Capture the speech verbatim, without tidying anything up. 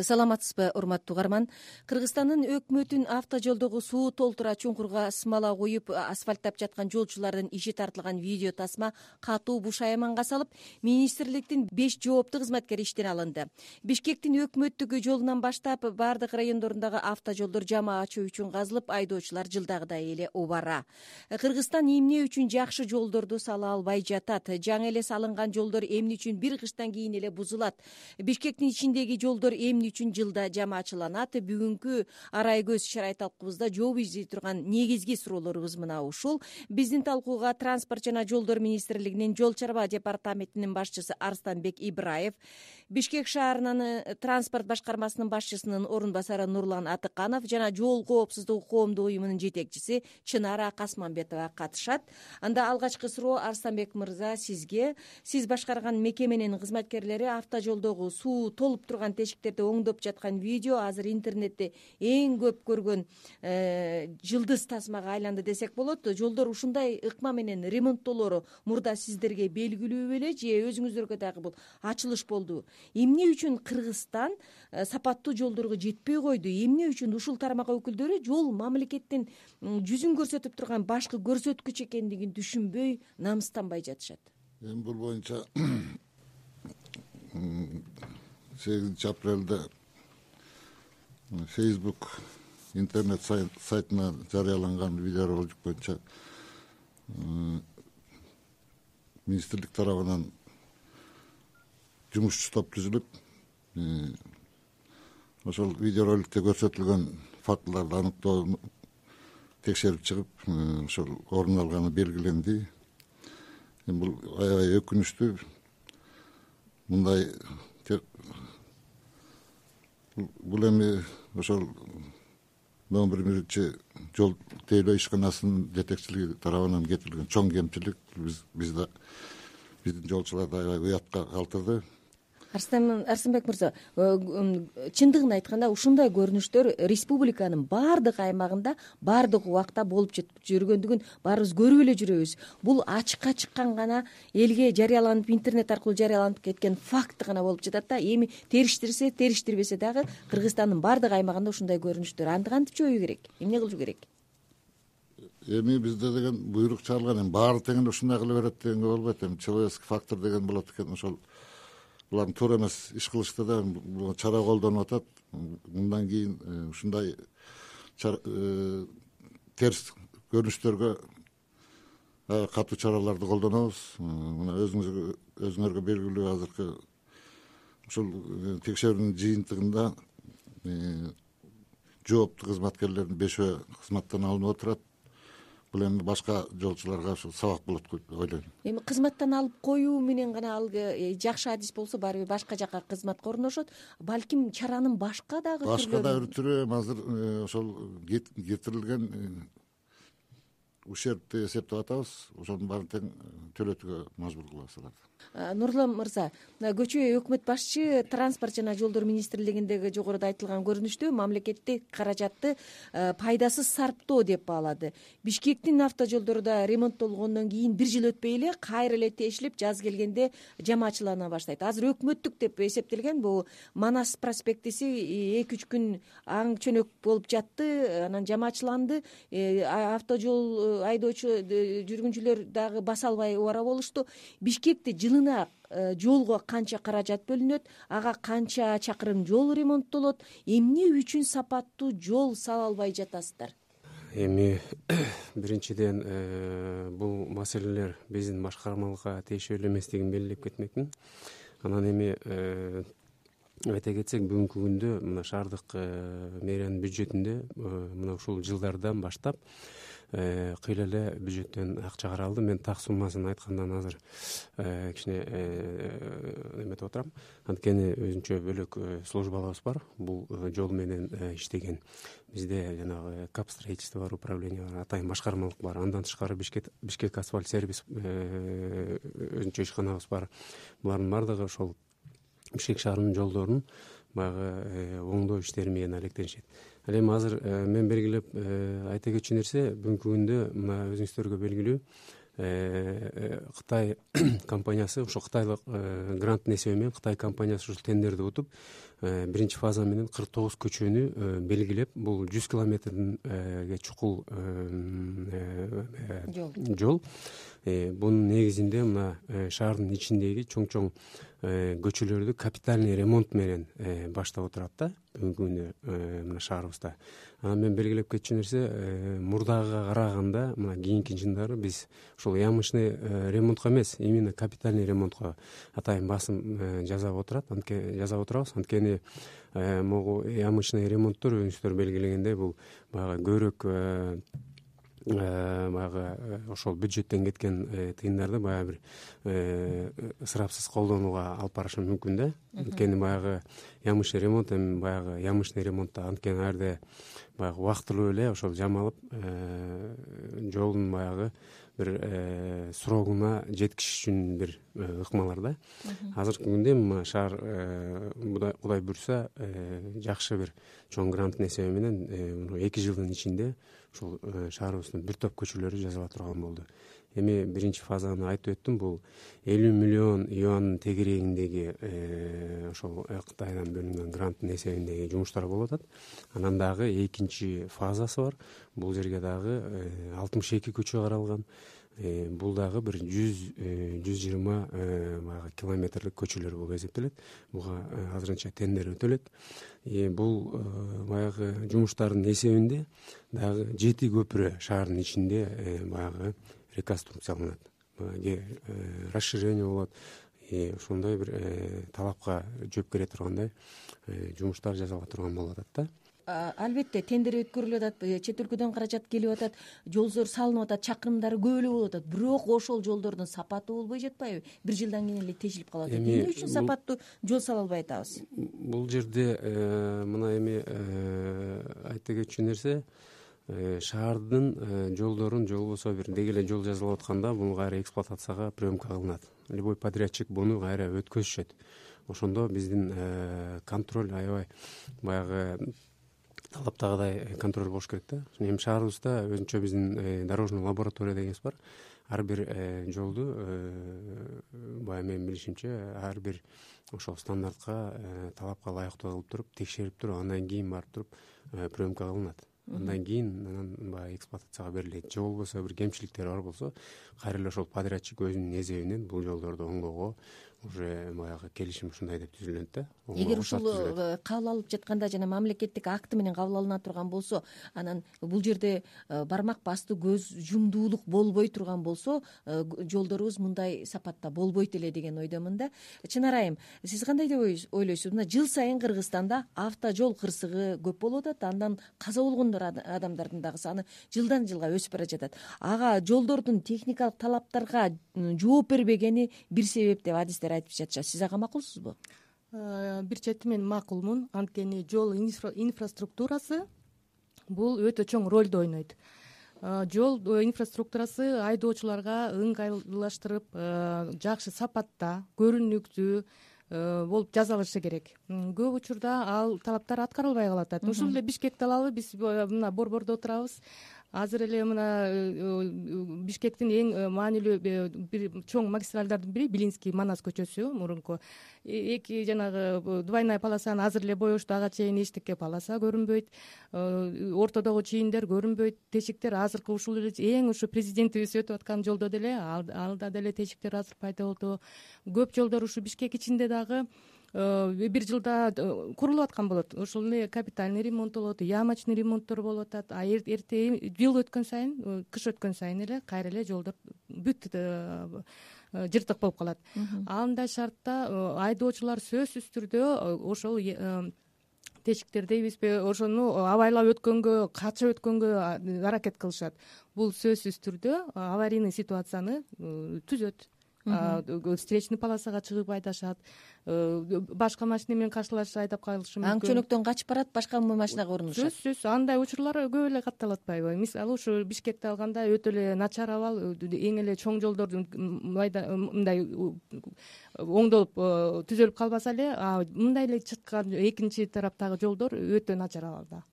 Саламатсызбы, урматтуу угарман. Кыргызстандын өкмөтүн автожолдогу суу толтура чуңкурга смола коюп асфальттап жаткан жолчулардын иши тартылган видео тасма катуу бушайманга салып, министрликтин беш жооптуу кызматкери иштен алынды. Бишкектин өкмөттүк жолунан баштап бардык райондорундагы автожолдор жамаатчы үчүн казылып, айдоочулар жылдагыдай эле убара. Кыргызстан эмне үчүн жакшы жолдорду сала албай жатат? Жаңы эле салынган жолдор эмне үчүн бир кыштан кийин эле бузулат? Бишкектин ичиндеги жолдор эмне үчүн жылда жамаачыланат? Бүгүнкү арай көз шарай талкуубузда жооп издей турган негизги суроолорубуз мына ушул. Биздин талкууга Транспорт жана жолдор министрлигинин жол чарба департаментинин башчысы Арстанбек Ибраев, Бишкек шаарынын транспорт башкармасынын башчысынын орун басары Нурлан Атыканов жана жол коопсуздугу коомдук уюмунун жетекчиси Чынара Касманбетова катышат. Анда алгачкы суроо Арстанбек мырза сизге. Сиз башкарган мекеменин кызматкерлери автожолдогу суу толуп турган тешиктерди оңдоп жаткан видео азыр интернетте эң көп көргөн жылдыз тасмага айланды десек болот. Жолдор ушундай ыкма менен ремонттолору мурда сиздерге белгилүү беле же өзүңүздөргө дагы бул ачылыш болду? Эмне үчүн Кыргызстан сапаттуу жолдорго жетпей койду? Эмне үчүн ушул тармак өкүлдөрү жол мамлекеттин жүзүн көрсөтүп турган башкы көрсөткүч экендигин түшүнбөй, намыстанбай жатышат? Эми бул боюнча сегизинчи апрелде Facebook интернет сайтына жарыяланган видеоролик боюнча министрлик тарабынан жумушчу топ түзүлүп, ошол видеороликте көрсөтүлгөн фактыларды аныктоо текшерип чыгып, ошол орун алганы белгиленди. Эми бул аябай өкүнүчтүү. Мындай бул эми ошол номер биринчи жол тейлөө ишканасынын жетекчилиги тарабынан кетирилген чоң кемчилик биз бизде биздин жолчуларды аябай уятка калтырды. Арсанбек мырза, чындыгын айтканда ушундай көрүнүштөр республиканын баардык аймагында баардык убакта болуп жүргөндүгүн баарыбыз көрүп эле жүрөбүз. Бул ачыкка чыккан гана элге жарыяланып, интернет аркылуу жарыяланып кеткен факт гана болуп жатат да. Эми териштирсе, териштирбесе дагы Кыргызстандын баардык аймагында ушундай көрүнүштөр. Аны кантип жоюу керек? Эмне кылуу керек? Эми бизде деген буйрук чыгарылган, эми баары тең ушундай кыла берет дегенге болбойт. Эми человеческий фактор деген болот экен. Ошол булардын туура эмес иш кылышты да чара колдонуп атат. Мындан кийин ушундай терс көрүнүштөргө катуу чараларды колдонобуз. Мына өзүңөргө белгилүү азыркы ушул текшерүүнүн жыйынтыгында жооптуу кызматкерлердин бешөө кызматтан алынып отурат. Бул эми башка жолчуларга ушул сабак болот деп ойлойм. Эми кызматтан алып коюу менен гана ал жакшы адис болсо баары бир башка жака кызматка орношот. Балким чаранын башка дагы түрлөрү башка дагы бир түрү азыр ошол кетирилген ущербти эсептеп атабыз. Ошонун баарын тең төлөтүүгө мажбур кылабыз аларды. Нурлан мырза, көчө өкмөт башчы Транспорт жана жолдор министрлигиндеги жогоруда айтылган көрүнүштө мамлекеттик каражатты пайдасыз сарптоо деп баалады. Бишкектин автожолдору да ремонттолгондон кийин бир жыл өтпөй эле кайра эле тешилип, жаз келгенде жамаачылана баштайт. Азыр өкмөттүк деп эсептелген бул Манас проспектиси эки үч күн аң чөнөк болуп жатты, анан жамаачыланды. Автожол айдоочу жүргүнчүлөр дагы баса албай убара болушту. Бишкекте жылына жолго канча каражат бөлүнөт, ага канча чакырым жол ремонттолот, эмне үчүн сапаттуу жол сала албай жатасыздар? Эми биринчиден бул маселелер биздин башкармалыкка тиешелүү эместигин белгилеп кетмекмин. Анан эми айта кетсек, бүгүнкү күндө мына шаардык мэриянын бюджетинде мына ушул жылдардан баштап кыйла эле бюджеттен акча каралды. Мен так суммасын айткандан азыр кичине эметип отурам. Анткени өзүнчө бөлөк службаларыбыз бар. Бул жол менен иштеген. Бизде жанагы кап строительство бар, управление бар, атайын башкармалык бар. Андан тышкары Бишкек Бишкек асфальт сервис өзүнчө ишканабыз бар. Булардын баардыгы ошол Бишкек шаарынын жолдорун баягы оңдоо иштери менен алектенишет. Ал эми азыр мен белгилеп айта кетчү нерсе, бүгүнкү күндө мына өзүңүздөргө белгилүү Кытай компаниясы, ошо кытайлык гранттын эсеби менен Кытай компаниясы ушул тендерди утуп, биринчи фаза менен кырк тогуз көчөнү белгилеп, бул жүз километрге чукул жол. Бунун негизинде мына шаардын ичиндеги чоң чоң көчөлөрдү капитальный ремонт менен баштап отурат да бүгүнкү күндө мына шаарыбызда. Анан мен белгилеп кетчү нерсе, мурдагыга караганда мына кийинки жылдары биз ушул ямочный ремонтко эмес, именно капитальный ремонтко атайын басым жасап отурат, жасап отурабыз. Анткени могу ямочный ремонттор өзүңүздөр белгилегендей бул баягы көбүрөөк баягы ошол бюджеттен кеткен тыйындарды баягы бир ысырапсыз колдонууга алып барышы мүмкүн да. Анткени баягы ямочный ремонт эми баягы ямочный ыкмонтто анткени ар жерде баягы убактылуу эле ошол жамалып жолдун баягы бир срогуна жеткизиш үчүн бир ыкмалар да. Азыркы күндө эми шаар Кудай буйрса жакшы бир чоң гранттын эсеби менен эки жылдын ичинде ушул шаарыбыздын бир топ көчөлөрү жасала турган болду. Эми биринчи фазаны айтып өттүм, бул элүү миллион юандын тегерегиндеги ошол Кытайдан бөлүнгөн гранттын эсебиндеги жумуштар болуп атат. Анан дагы экинчи фазасы бар. Бул жерге дагы алтымыш эки көчө каралган. Бул дагы бир жүз жүз жыйырма баягы километрлик көчөлөр болуп эсептелет. Буга азырынча тендер өтөлөт. Бул баягы жумуштардын эсебинде дагы жети көпүрө шаардын ичинде баягы реконструкцияланат, расширение болот. Ошондой бир талапка жооп бере тургандай жумуштар жасала турган болуп атат да. Албетте тендер өткөрүлүп атат, чет өлкөдөн каражат келип атат, жолдор салынып атат, чакырымдары көп эле болуп атат. Бирок ошол жолдордун сапаты болбой жатпайбы? Бир жылдан кийин эле тешилип калып атат. Эмне үчүн сапаттуу жол сала албай атабыз? Бул жерде мына эми айта кетчү нерсе, шаардын жолдорун же болбосо бир деги эле жол жасалып атканда буну кайра эксплуатацияга приемка кылынат. Любой подрядчик буну кайра өткөзүшөт. Ошондо биздин контроль аябай баягы талаптагыдай контроль болуш керек да. Эми шаарыбызда өзүнчө биздин дорожный лаборатория дегенибиз бар. Ар бир жолду баягы менин билишимче ар бир ошол стандартка, талапка ылайыктуу кылып туруп, текшерип туруп, андан кийин барып туруп приемка кылынат. Андан кийин анан баягы эксплуатацияга берилет. Же болбосо бир кемчиликтер бар болсо, кайра эле ошол подрядчик өзүнүн эсебинен бул жолдорду оңгоого уже баягы келишим ушундай деп түзүлөт да. Эгер ушул кабыл алып жатканда жана мамлекеттик акты менен кабыл алына турган болсо, анан бул жерде бармак бастуу көз жумдуулук болбой турган болсо, жолдорубуз мындай сапатта болбойт эле деген ойдомун да. Чынар айым, сиз кандай деп ойлойсуз? Мына жыл сайын Кыргызстанда автожол кырсыгы көп болуп атат, андан каза болгондор адамдардын дагы саны жылдан жылга өсүп бара жатат. Ага жолдордун техникалык талаптарга жооп бербегени бир себеп деп адистер айтып жатышат. Сиз ага макулсузбу? Бир чети мен макулмун. Анткени жол инфраструктурасы бул өтө чоң ролду ойнойт. Жол инфраструктурасы айдоочуларга ыңгайлаштырып, жакшы сапатта, көрүнүктүү болуп жасалышы керек. Көп учурда ал талаптар аткарылбай калып атат. Ушул эле Бишкекти алалы, биз мына борбордо отурабыз. Азыр эле мына Бишкектин эң маанилүү бир чоң магистралдардын бири Билинский Манас көчөсү, мурунку эки жанагы двойная полосаны азыр эле боешту, ага чейин эчтеке полоса көрүнбөйт, ортодогу чийиндер көрүнбөйт, тешиктер азыркы ушул эле эң ушу президентибиз өтүп аткан жолдо деле алда деле тешиктер азыр пайда болду. Көп жолдор ушу Бишкек ичинде дагы бир жылда курулуп аткан болот. Ошол эле капитальный ремонт болот, ямочный ремонттор болуп атат. А эрте жыл өткөн сайын, кыш өткөн сайын эле кайра эле жолдор бүт жыртык болуп калат. Андай шартта айдоочулар сөзсүз түрдө ошол тешиктер дейбизби, ошону абайлап өткөнгө, качып өткөнгө аракет кылышат. Бул сөзсүз түрдө аварийный ситуацияны түзөт. Встречный полосага чыгып айдашат, башка машина менен каршылашып айдап калышы мүмкүн. Аң чөнөктөн качып барат, башка машинага урунушат. Сөзсүз андай учурлар көп эле катталып атпайбы? Мисалы ушу Бишкекти алганда өтө эле начар абал, эң эле чоң жолдордун мындай оңдолуп түзөлүп калбаса эле, мындай эле чыккан экинчи тараптагы жолдор өтө начар абалда.